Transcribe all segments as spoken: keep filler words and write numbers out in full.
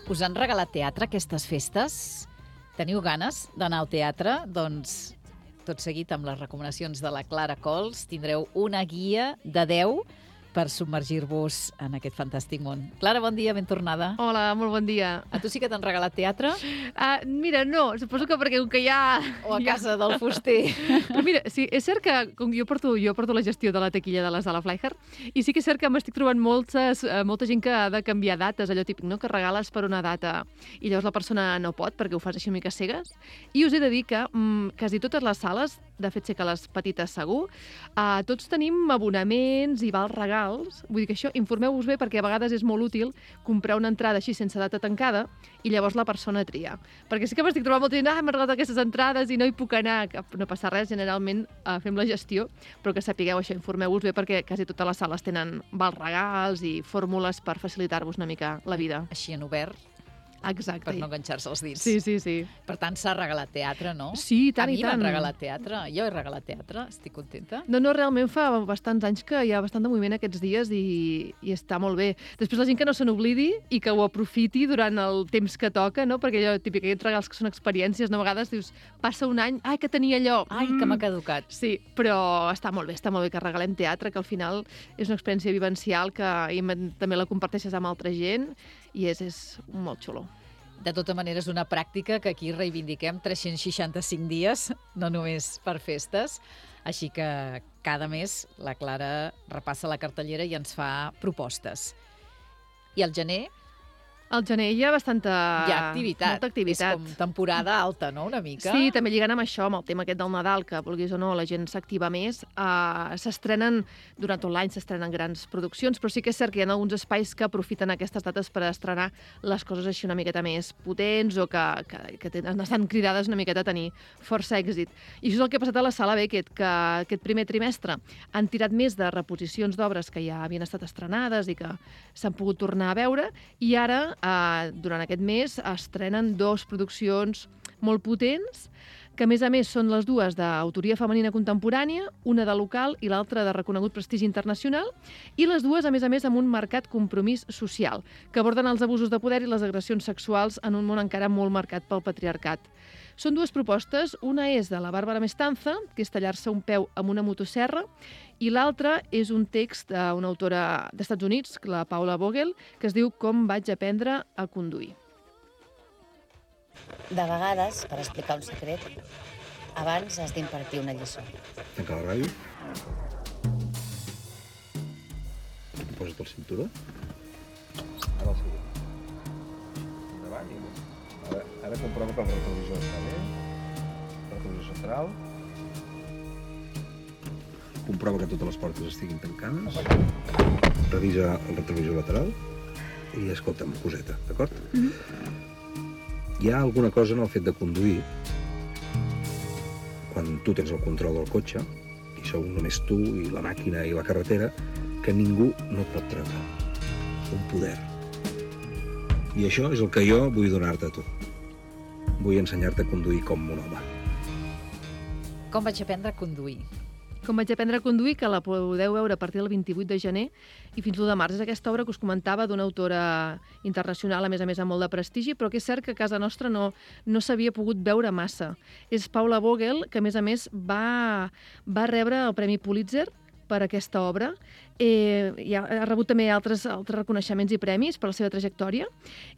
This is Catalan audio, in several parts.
Us han regalat teatre aquestes festes? Teniu ganes d'anar al teatre? Doncs tot seguit amb les recomanacions de la Clara Cols tindreu una guia de deu per submergir-vos en aquest fantàstic món. Clara, bon dia, ben tornada. Hola, molt bon dia. A tu sí que t'han regalat teatre? Uh, mira, no, suposo que perquè com que ja... O a ja... casa del fuster. Però mira, sí, és cert que com jo porto, jo porto la gestió de la taquilla de les de la Flyher, i sí que és cert que m'estic trobant moltes, uh, molta gent que ha de canviar dates, allò típic, no?, que regales per una data i llavors la persona no pot perquè ho fas així una mica cegues. I us he de dir que um, quasi totes les sales, de fet sé que les petites segur, uh, tots tenim abonaments i vals regals. Vull dir que això, informeu-vos bé perquè a vegades és molt útil comprar una entrada així sense data tancada i llavors la persona tria. Perquè sí que m'estic trobant molta gent, ah, m'han regalat aquestes entrades i no hi puc anar. No passa res, generalment uh, fem la gestió, però que sapigueu això, informeu-vos bé perquè quasi totes les sales tenen vals regals i fórmules per facilitar-vos una mica la vida. Així en obert. Exacte. Per no enganxar-se els dits. Sí, sí, sí. Per tant, s'ha regalat teatre, no? Sí, tant i tant. A mi m'han regalat teatre. Jo he regalat teatre, estic contenta. No, no, realment fa bastants anys que hi ha bastant de moviment aquests dies i, i està molt bé. Després la gent que no se n'oblidi i que ho aprofiti durant el temps que toca, no? Perquè allò típic, aquests regals que són experiències, no? A vegades dius, passa un any, ai, que tenia allò. Ai, mm. que m'ha caducat. Sí, però està molt bé, està molt bé que regalem teatre, que al final és una experiència vivencial que i també la comparteixes amb altra gent i és, és molt xulo. De tota manera, és una pràctica que aquí reivindiquem tres-cents seixanta-cinc dies, no només per festes. Així que cada mes la Clara repassa la cartellera i ens fa propostes. I al gener? Al gener hi ha bastanta... Hi ha activitat. Molta activitat. És com temporada alta, no?, una mica. Sí, també lligant amb això, amb el tema aquest del Nadal, que vulguis o no, la gent s'activa més. Uh, s'estrenen, durant tot l'any s'estrenen grans produccions, però sí que és cert que hi ha alguns espais que aprofiten aquestes dates per estrenar les coses així una miqueta més potents o que, que, que tenen, estan cridades una miqueta a tenir força èxit. I això és el que ha passat a la Sala Beckett, que aquest primer trimestre han tirat més de reposicions d'obres que ja havien estat estrenades i que s'han pogut tornar a veure, i ara Uh, durant aquest mes estrenen dos produccions molt potents, que a més a més són les dues d'autoria femenina contemporània, una de local i l'altra de reconegut prestigi internacional, i les dues, a més a més, amb un marcat compromís social, que aborden els abusos de poder i les agressions sexuals en un món encara molt marcat pel patriarcat. Són dues propostes, una és de la Bàrbara Mestanza, que és tallar-se un peu amb una motosserra, i l'altra és un text d'una autora d'Estats Units, la Paula Vogel, que es diu Com vaig aprendre a conduir. De vegades, per explicar un secret, abans has d'impartir una lliçó. Tanca la ràdio. Posa't el cinturó. Ara el següent. Endavant i més. Ara, ara comprova que el retrovisor està bé. El retrovisor central. Comprova que totes les portes estiguin tancades. Revisa el retrovisor lateral. I escolta'm, coseta, d'acord? Mm-hmm. Hi ha alguna cosa en el fet de conduir, quan tu tens el control del cotxe, i sou només tu i la màquina i la carretera, que ningú no et pot treure. Un poder. I això és el que jo vull donar-te a tu. Vull ensenyar-te a conduir com un home. Com vaig aprendre a conduir? Com vaig aprendre a conduir, que la podeu veure a partir del vint-i-vuit de gener i fins l'u de març. És aquesta obra que us comentava d'una autora internacional, a més a més amb molt de prestigi, però que és cert que a casa nostra no, no s'havia pogut veure massa. És Paula Vogel, que a més a més va, va rebre el Premi Pulitzer per aquesta obra. Eh, ja ha rebut també altres, altres reconeixements i premis per la seva trajectòria,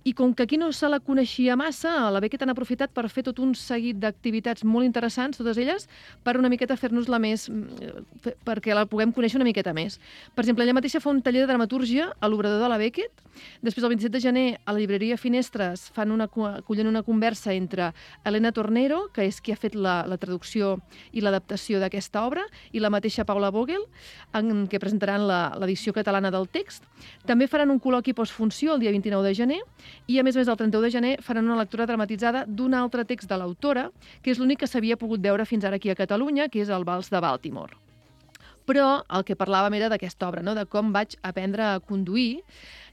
i com que aquí no se la coneixia massa, a la Beckett han aprofitat per fer tot un seguit d'activitats molt interessants, totes elles, per una miqueta fer-nos-la més, perquè la puguem conèixer una miqueta més. Per exemple, ella mateixa fa un taller de dramatúrgia a l'Obrador de la Beckett. Després, el vint-i-set de gener, a la llibreria Finestres fan una, acullen una conversa entre Elena Tornero, que és qui ha fet la, la traducció i l'adaptació d'aquesta obra, i la mateixa Paula Vogel, en què presentaran l'edició catalana del text. També faran un col·loqui postfunció el dia vint-i-nou de gener i, a més a més, el trenta-u de gener faran una lectura dramatitzada d'un altre text de l'autora, que és l'únic que s'havia pogut veure fins ara aquí a Catalunya, que és el Vals de Baltimore. Però el que parlàvem era d'aquesta obra, no?, de com vaig aprendre a conduir,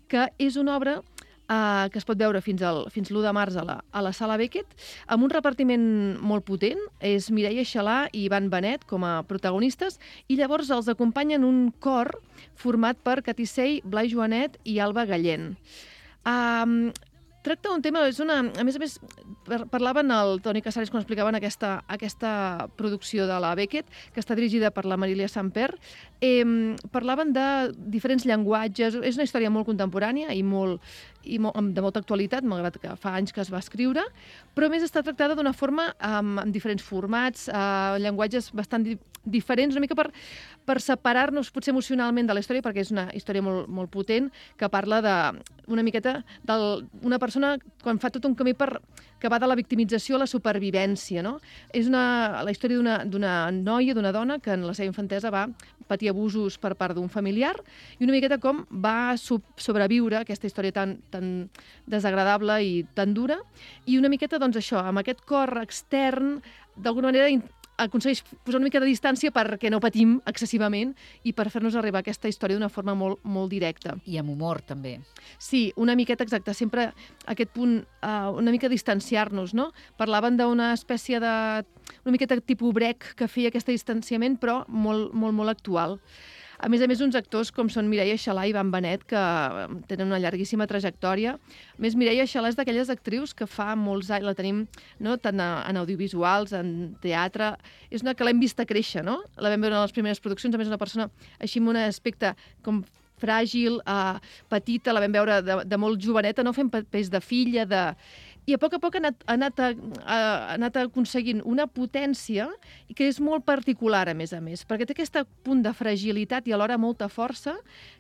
que és una obra Uh, que es pot veure fins, al, fins l'u de març a la, a la Sala Beckett, amb un repartiment molt potent. És Mireia Xalà i Ivan Benet com a protagonistes, i llavors els acompanyen un cor format per Catissei, Blai Joanet i Alba Gallent. Uh, tracta un tema, és una, a més a més, parlaven el Toni Casares quan explicaven aquesta, aquesta producció de la Beckett, que està dirigida per la Marilia Samper, eh, parlaven de diferents llenguatges, és una història molt contemporània i molt, i molt, de molta actualitat, malgrat que fa anys que es va escriure, però a més està tractada d'una forma amb, amb diferents formats, eh, llenguatges bastant di diferents, una mica per, per separar-nos potser emocionalment de la història, perquè és una història molt, molt potent, que parla de, una miqueta d'una persona quan fa tot un camí per, que va de la victimització a la supervivència, no? És una, la història d'una noia, d'una dona, que en la seva infantesa va patir abusos per part d'un familiar, i una miqueta com va sobreviure aquesta història tan, tan desagradable i tan dura, i una miqueta, doncs, això, amb aquest cor extern, d'alguna manera aconsegueix posar una mica de distància perquè no patim excessivament i per fer-nos arribar a aquesta història d'una forma molt, molt directa. I amb humor, també. Sí, una miqueta exacta, sempre aquest punt, uh, una mica distanciar-nos, no? Parlaven d'una espècie de... una miqueta tipus Brecht que feia aquest distanciament, però molt, molt, molt actual. A més a més, uns actors com són Mireia Xalà i Ivan Benet, que tenen una llarguíssima trajectòria. A més, Mireia Xalà és d'aquelles actrius que fa molts anys, la tenim, no?, tant en audiovisuals, en teatre, és una que l'hem vista créixer, no? La vam veure en les primeres produccions, a més una persona així amb un aspecte com fràgil, eh, petita, la vam veure de, de molt joveneta, no fent papers de filla, de... I a poc a poc ha anat, ha anat, a, ha anat aconseguint una potència que és molt particular, a més a més, perquè té aquest punt de fragilitat i alhora molta força,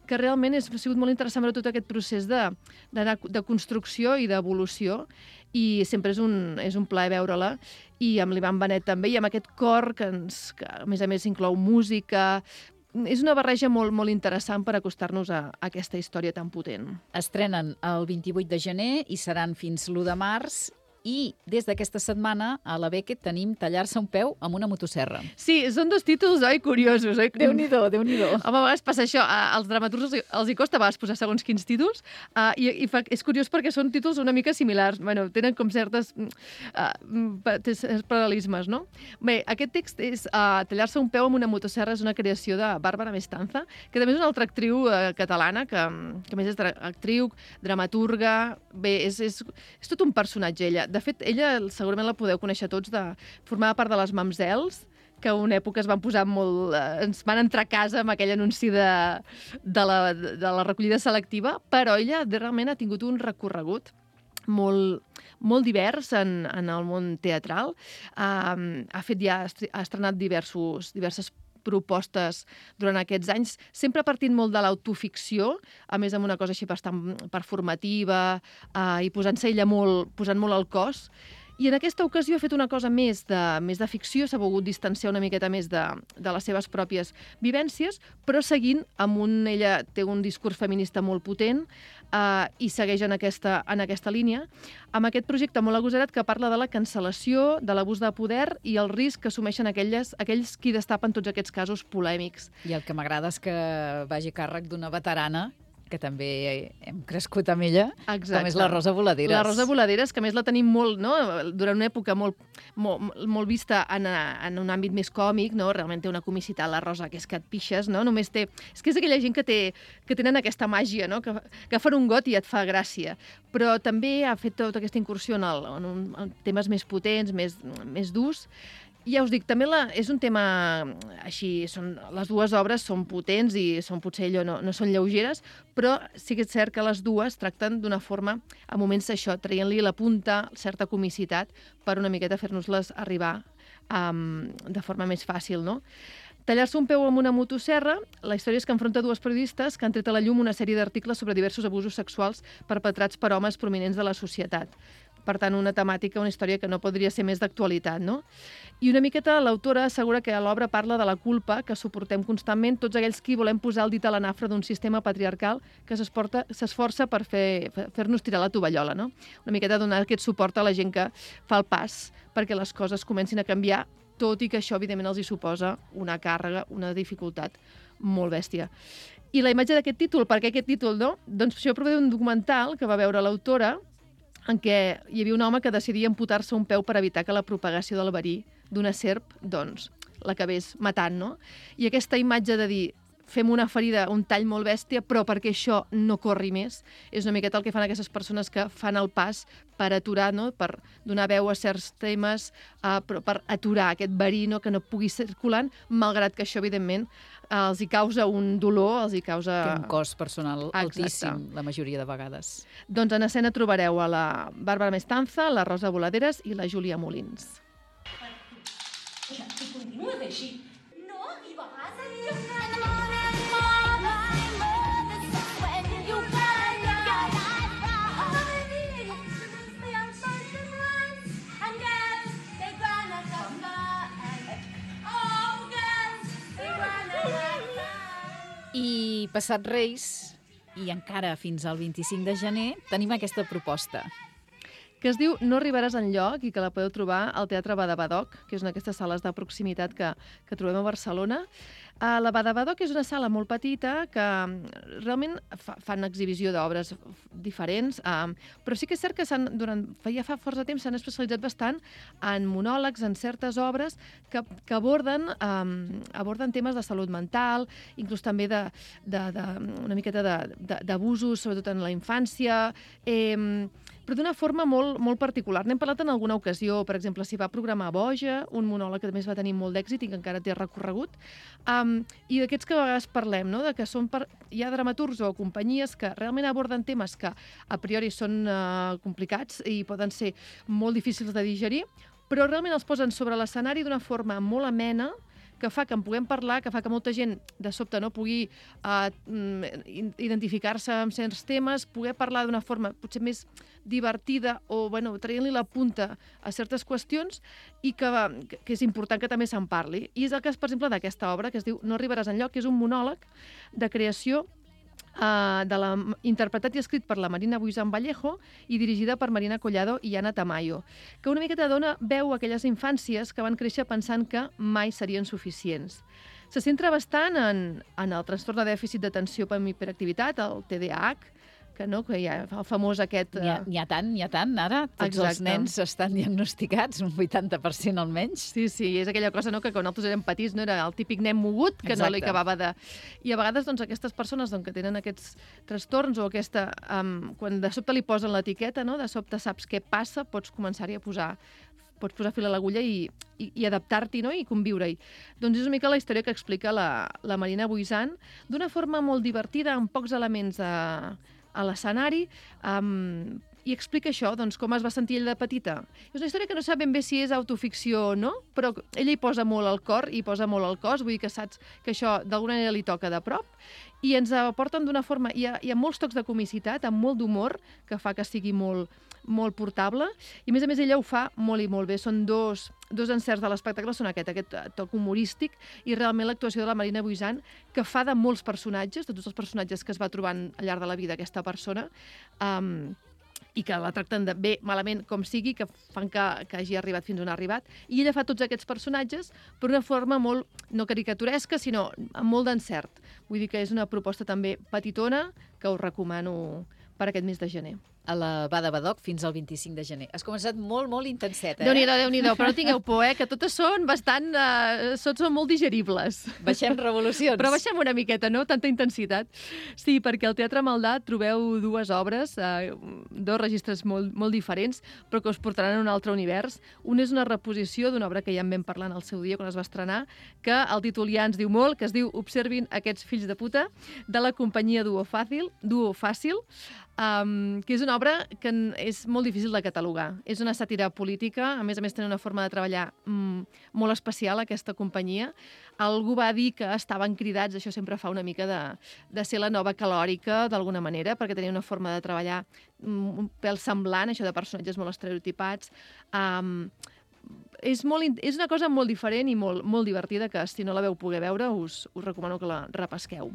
que realment és, ha sigut molt interessant veure tot aquest procés de, de, de construcció i d'evolució, i sempre és un, és un plaer veure-la, i amb l'Ivan Benet també, i amb aquest cor que, ens, que a més a més inclou música. És una barreja molt, molt interessant per acostar-nos a, a aquesta història tan potent. Estrenen el vint-i-vuit de gener i seran fins l'u de març. I des d'aquesta setmana a la Beckett tenim Tallar-se un peu amb una motosserra. Sí, són dos títols, oi? Curiosos, oi? Déu-n'hi-do, Déu-n'hi-do. Home, a vegades passa això. Als dramaturgs els hi costa a vegades posar segons quins títols, uh, i, i fa, és curiós perquè són títols una mica similars. Bueno, tenen com certes uh, paral·lelismes, no? Bé, aquest text és uh, Tallar-se un peu amb una motosserra, és una creació de Bàrbara Mestanza, que també és una altra actriu uh, catalana, que, que a més és actriu, dramaturga. Bé, és, és, és tot un personatge, ella. De fet, ella segurament la podeu conèixer tots, de formar part de les Mamsels, que una època es van posar molt... Eh, ens van entrar a casa amb aquell anunci de, de, la, de la recollida selectiva, però ella realment ha tingut un recorregut molt, molt divers en, en el món teatral. Uh, ha fet ja, ha estrenat diversos, diverses propostes durant aquests anys, sempre partint molt de l'autoficció, a més amb una cosa així bastant performativa, eh, i posant-se ella molt, posant molt al cos. I en aquesta ocasió ha fet una cosa més de, més de ficció, s'ha volgut distanciar una miqueta més de, de les seves pròpies vivències, però seguint amb un... Ella té un discurs feminista molt potent, eh, i segueix en aquesta, en aquesta línia, amb aquest projecte molt agosarat que parla de la cancel·lació, de l'abús de poder i el risc que assumeixen aquelles, aquells qui destapen tots aquests casos polèmics. I el que m'agrada és que vagi a càrrec d'una veterana, que també hem crescut amb ella, Exacte. Com és la Rosa Voladeres. La Rosa Voladeres, que a més la tenim molt, no?, durant una època molt, molt, molt vista en, en un àmbit més còmic, no? Realment té una comicitat, la Rosa, que és que et pixes, no? Només té... És que és aquella gent que, té, que tenen aquesta màgia, no?, que, que fan un got i et fa gràcia. Però també ha fet tota aquesta incursió en, el, en, un, en temes més potents, més, més durs. Ja us dic, també la, és un tema així, són, les dues obres són potents i són potser allò, no, no són lleugeres, però sí que és cert que les dues tracten d'una forma, a moments això, traient-li la punta, certa comicitat, per una miqueta fer-nos-les arribar um, de forma més fàcil, no? Tallar-se un peu amb una motosserra, la història és que enfronta dues periodistes que han tret a la llum una sèrie d'articles sobre diversos abusos sexuals perpetrats per homes prominents de la societat. Per tant, una temàtica, una història que no podria ser més d'actualitat, no? I una miqueta l'autora assegura que l'obra parla de la culpa que suportem constantment tots aquells qui volem posar el dit a la nafra d'un sistema patriarcal que s'esforça per fer, fer-nos tirar la tovallola, no? Una miqueta donar aquest suport a la gent que fa el pas perquè les coses comencin a canviar, tot i que això, evidentment, els hi suposa una càrrega, una dificultat molt bèstia. I la imatge d'aquest títol, per què aquest títol, no? Doncs això prové d'un documental que va veure l'autora, en què hi havia un home que decidia amputar-se un peu per evitar que la propagació del verí d'una serp, doncs, l'acabés matant, no? I aquesta imatge de dir, fem una ferida, un tall molt bèstia, però perquè això no corri més. És una miqueta el que fan aquestes persones que fan el pas per aturar, no? Per donar veu a certs temes, uh, però per aturar aquest verí, no? Que no pugui circulant, malgrat que això, evidentment, uh, els hi causa un dolor, els hi causa... Té un cost personal Exacte. altíssim, la majoria de vegades. Doncs en escena trobareu a la Bàrbara Mestanza, la Rosa Voladeres i la Júlia Molins. Que continues així. No arribaràs a llogar. I passat Reis, i encara fins al vint-i-cinc de gener, tenim aquesta proposta. Que es diu No arribaràs enlloc i que la podeu trobar al Teatre Badabadoc, que és una d'aquestes sales de proximitat que, que trobem a Barcelona. Uh, la Badabadoc és una sala molt petita que realment fa, fan exhibició d'obres diferents, uh, però sí que és cert que durant, ja fa força temps s'han especialitzat bastant en monòlegs, en certes obres que, que aborden, um, aborden temes de salut mental, inclús també de, de, de, una miqueta d'abusos, sobretot en la infància, eh, però d'una forma molt, molt particular. N'hem parlat en alguna ocasió, per exemple, s'hi va programar Boja, un monòleg que també es va tenir molt d'èxit i que encara té recorregut, um, i d'aquests que a vegades parlem, no? De que són per... hi ha dramaturgs o companyies que realment aborden temes que a priori són uh, complicats i poden ser molt difícils de digerir, però realment els posen sobre l'escenari d'una forma molt amena, que fa que en puguem parlar, que fa que molta gent de sobte no pugui uh, identificar-se amb certs temes, poder parlar d'una forma potser més divertida o bueno, traient-li la punta a certes qüestions i que, que és important que també se'n parli. I és el cas, per exemple, d'aquesta obra que es diu No arribaràs enlloc, que és un monòleg de creació Uh, de la, interpretat i escrit per la Marina Buisan Vallejo i dirigida per Marina Collado i Anna Tamayo, que una miqueta dona veu a aquelles infàncies que van créixer pensant que mai serien suficients. Se centra bastant en, en el trastorn de dèficit d'atenció per hiperactivitat, el T D A H, que, no, que hi ha el famós aquest... N'hi ha, n'hi ha tant, n'hi ha tant, ara. Tots Exacte. Els nens estan diagnosticats, un vuitanta per cent almenys. Sí, sí, és aquella cosa, no?, que quan nosaltres érem petits no era el típic nen mogut que Exacte. No li acabava de... I a vegades doncs, aquestes persones doncs, que tenen aquests trastorns o aquesta... Um, quan de sobte li posen l'etiqueta, no?, de sobte saps què passa, pots començar-hi a posar pots posar fil a l'agulla i, i, i adaptar-t'hi, no?, i conviure-hi. Doncs és una mica la història que explica la, la Marina Buisan d'una forma molt divertida, amb pocs elements a, a l'escenari, um, i explica això, doncs, com es va sentir ell de petita. És una història que no sap ben bé si és autoficció o no, però ella hi posa molt al cor i posa molt al cos, vull dir que saps que això d'alguna manera li toca de prop, i ens aporten d'una forma... Hi ha, hi ha molts tocs de comicitat, amb molt d'humor, que fa que sigui molt, molt portable, i a més a més ella ho fa molt i molt bé. Són dos, dos encerts de l'espectacle, són aquest, aquest toc humorístic, i realment l'actuació de la Marina Buisan, que fa de molts personatges, de tots els personatges que es va trobant al llarg de la vida aquesta persona, um, i que la tracten de bé, malament, com sigui, que fan que, que hagi arribat fins on ha arribat. I ella fa tots aquests personatges per una forma molt, no caricaturesca, sinó amb molt d'encert. Vull dir que és una proposta també petitona que us recomano per aquest mes de gener. A la Badabadoc fins al vint-i-cinc de gener. Has començat molt, molt intenseta, eh? Déu-n'hi-do, Déu-n'hi-do, però no tingueu por, eh? Que totes són bastant... Eh, són molt digeribles. Baixem revolucions. Però baixem una miqueta, no? Tanta intensitat. Sí, perquè al Teatre Maldà trobeu dues obres, eh, dos registres molt, molt diferents, però que us portaran a un altre univers. Un és una reposició d'una obra que ja en vam parlar en el seu dia, quan es va estrenar, que el títol ja ens diu molt, que es diu Observin aquests fills de puta, de la companyia Duo Fàcil, Duo Fàcil, Um, que és una obra que és molt difícil de catalogar. És una sàtira política, a més a més tenen una forma de treballar mm, molt especial, aquesta companyia. Algú va dir que estaven cridats, això sempre fa una mica de, de ser la nova calòrica, d'alguna manera, perquè tenia una forma de treballar mm, un pèl semblant, això de personatges molt estereotipats. Um, és, molt, és una cosa molt diferent i molt, molt divertida, que si no la veu poder veure us, us recomano que la repesqueu.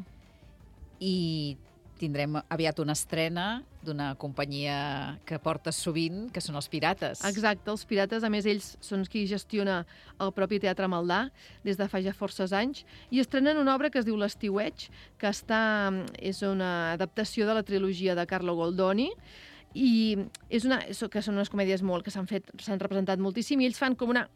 I tindrem aviat una estrena d'una companyia que portes sovint, que són els Pirates. Exacte, els Pirates, a més, ells són qui gestiona el propi Teatre Maldà des de fa ja forces anys, i estrenen una obra que es diu L'Estiueig, que està, és una adaptació de la trilogia de Carlo Goldoni, i és una, que són unes comèdies molt que s'han fet, s'han representat moltíssim, i ells fan com una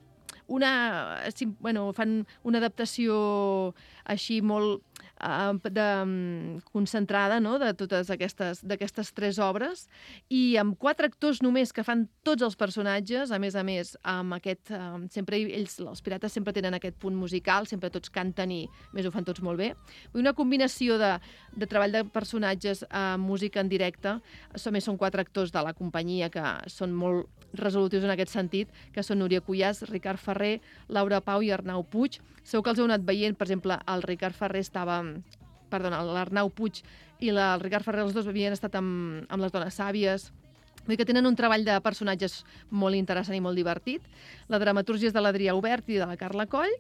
una, bueno, fan una adaptació així molt uh, de, um, concentrada, no?, de totes aquestes, d'aquestes tres obres, i amb quatre actors només que fan tots els personatges, a més a més, amb aquest, um, sempre ells, els pirates sempre tenen aquest punt musical, sempre tots canten i més ho fan tots molt bé. Una combinació de, de treball de personatges amb música en directe, a més són quatre actors de la companyia que són molt resolutius en aquest sentit, que són Núria Cuyàs, Ricard Ferrer, Laura Pau i Arnau Puig. Segur que els heu anat veient, per exemple, el Ricard Ferrer estava... Perdona, l'Arnau Puig i la, el Ricard Ferrer, els dos havien estat amb, amb les dones sàvies. Vull dir que tenen un treball de personatges molt interessant i molt divertit. La dramatúrgia és de l'Adrià Obert i de la Carla Coll,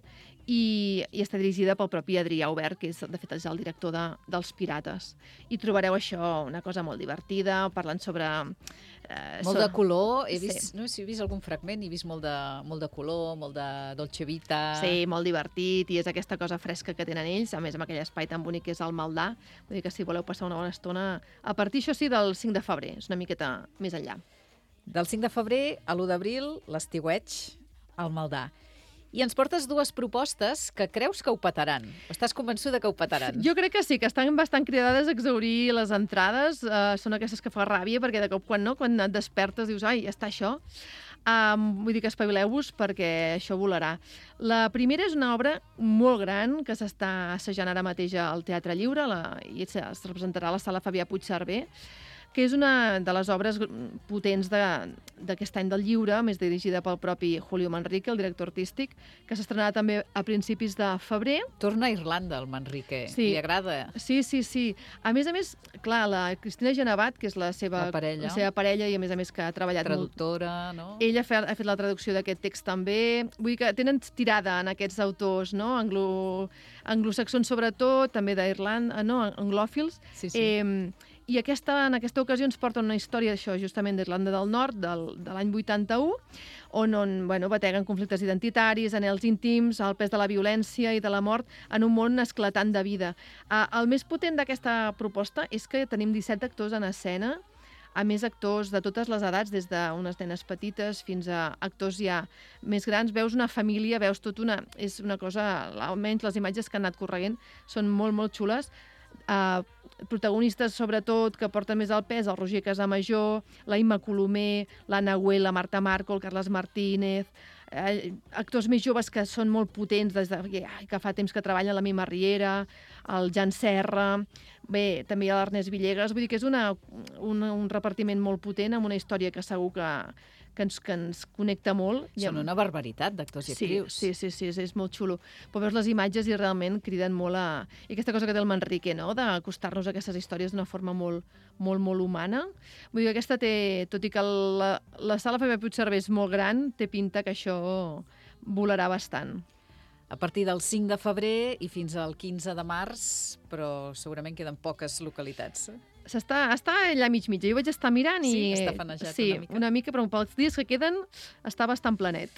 i, i està dirigida pel propi Adrià Obert, que és, de fet, és el director de, dels Pirates. I trobareu això, una cosa molt divertida, parlant sobre... Eh, molt sobre... de color. He vist, Sí. no sé si he vist algun fragment, he vist molt de, molt de color, molt de Dolce Vita... Sí, molt divertit, i és aquesta cosa fresca que tenen ells, a més amb aquell espai tan bonic que és el Maldà. Vull dir que si voleu passar una bona estona, a partir, això sí, del cinc de febrer, és una miqueta més enllà. Del cinc de febrer a l'u d'abril, l'estiueig al Maldà. I ens portes dues propostes que creus que ho petaran. O estàs convençuda que ho petaran? Jo crec que sí, que estan bastant cridades a exaurir les entrades. Uh, són aquestes que fa ràbia, perquè de cop quan no, quan et despertes dius, ai, ja està això. Um, vull dir que espavileu-vos perquè això volarà. La primera és una obra molt gran que s'està assajant ara mateix al Teatre Lliure, la, i es representarà a la Sala Fabià Puigcerver, que és una de les obres potents d'aquest any del lliure, més dirigida pel propi Julio Manrique, el director artístic, que s'estrenarà també a principis de febrer. Torna a Irlanda, el Manrique. Sí. Li agrada. Sí, sí, sí. A més a més, clar, la Cristina Genevat, que és la seva, La parella. la seva parella i a més a més que ha treballat Traductora, molt... no? Ella ha fet, ha fet la traducció d'aquest text també. Vull dir que tenen tirada en aquests autors, no? Anglo, anglosaxons sobretot, també d'Irlanda, no? Anglòfils. Sí, sí. Eh, I aquesta, en aquesta ocasió ens porta una història d'això, justament d'Irlanda del Nord, del, de l'any vuitanta-u, on, on bueno, bateguen conflictes identitaris, anhels íntims, el pes de la violència i de la mort en un món esclatant de vida. Uh, el més potent d'aquesta proposta és que tenim disset actors en escena, a més actors de totes les edats, des d'unes nenes petites fins a actors ja més grans. Veus una família, veus tot una... És una cosa, almenys les imatges que han anat correguent són molt, molt xules. Uh, protagonistes, sobretot, que porten més el pes, el Roger Casamajor, la Imma Colomer, l'Anna Güell, la Marta Marco, el Carles Martínez, eh, actors més joves que són molt potents, des de, ai, que fa temps que treballen, la Mima Riera, el Jan Serra, bé, també hi ha l'Ernest Villegas, vull dir que és una, una, un repartiment molt potent, amb una història que segur que, que, ens, que ens connecta molt. Són una barbaritat d'actors i Sí, actrius. sí, sí, sí, és, és molt xulo. Però veus les imatges i realment criden molt a... I aquesta cosa que té el Manrique, no?, d'acostar-nos a aquestes històries d'una forma molt, molt, molt humana. Vull dir que aquesta té... Tot i que la, la Sala Fabià Puigcerver és molt gran, té pinta que això volarà bastant. A partir del cinc de febrer i fins al quinze de març, però segurament queden poques localitats. S'està, està allà mig mitja. Jo vaig estar mirant i... Sí, està fanejat sí, una mica. una mica, però pels dies que queden està bastant planet.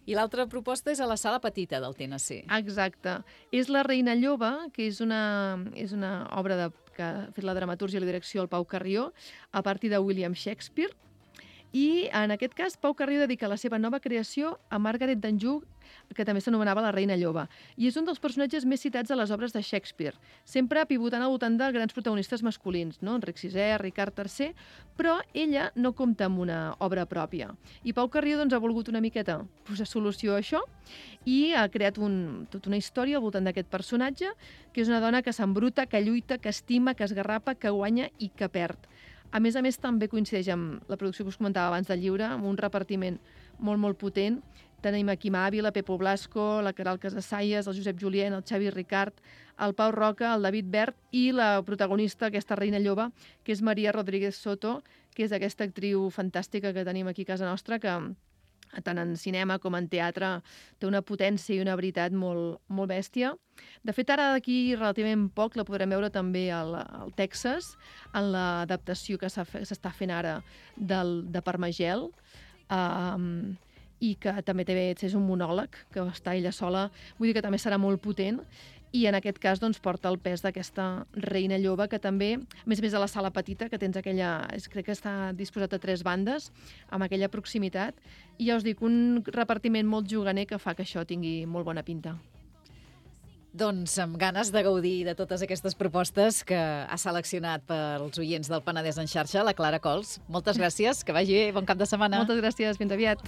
I l'altra proposta és a la Sala Petita del T N C. Exacte. És La Reina Lloba, que és una, és una obra de, que ha fet la dramatúrgia i la direcció el Pau Carrió, a partir de William Shakespeare. I, en aquest cas, Pau Carrió dedica la seva nova creació a Margaret d'Anjou, que també s'anomenava la Reina Lloba. I és un dels personatges més citats a les obres de Shakespeare, sempre pivotant al voltant de grans protagonistes masculins, no? Enric sisè, Ricard tercer, però ella no compta amb una obra pròpia. I Pau Carrió doncs, ha volgut una miqueta posar solució a això i ha creat un, tota una història al voltant d'aquest personatge, que és una dona que s'embruta, que lluita, que estima, que esgarrapa, que guanya i que perd. A més a més, també coincideix amb la producció que us comentava abans del llibre, amb un repartiment molt, molt potent. Tenim aquí Ávila, Pepo Blasco, la Caral Casassaies, el Josep Julien, el Xavi Ricard, el Pau Roca, el David Bert i la protagonista, aquesta Reina Lloba, que és Maria Rodríguez Soto, que és aquesta actriu fantàstica que tenim aquí a casa nostra, que tant en cinema com en teatre té una potència i una veritat molt, molt bèstia. De fet, ara d'aquí relativament poc la podrem veure també al, al Texas, en l'adaptació que s'està fent ara del, de Parmagel, um, i que també té, és un monòleg, que està ella sola, vull dir que també serà molt potent, i en aquest cas doncs, porta el pes d'aquesta Reina Lloba, que també, a més a més de la Sala Petita, que tens aquella, crec que està disposat a tres bandes, amb aquella proximitat, i ja us dic, un repartiment molt juganer que fa que això tingui molt bona pinta. Doncs amb ganes de gaudir de totes aquestes propostes que ha seleccionat pels oients del Penedès en xarxa, la Clara Cols. Moltes gràcies, que vagi bé, bon cap de setmana. Moltes gràcies, fins aviat.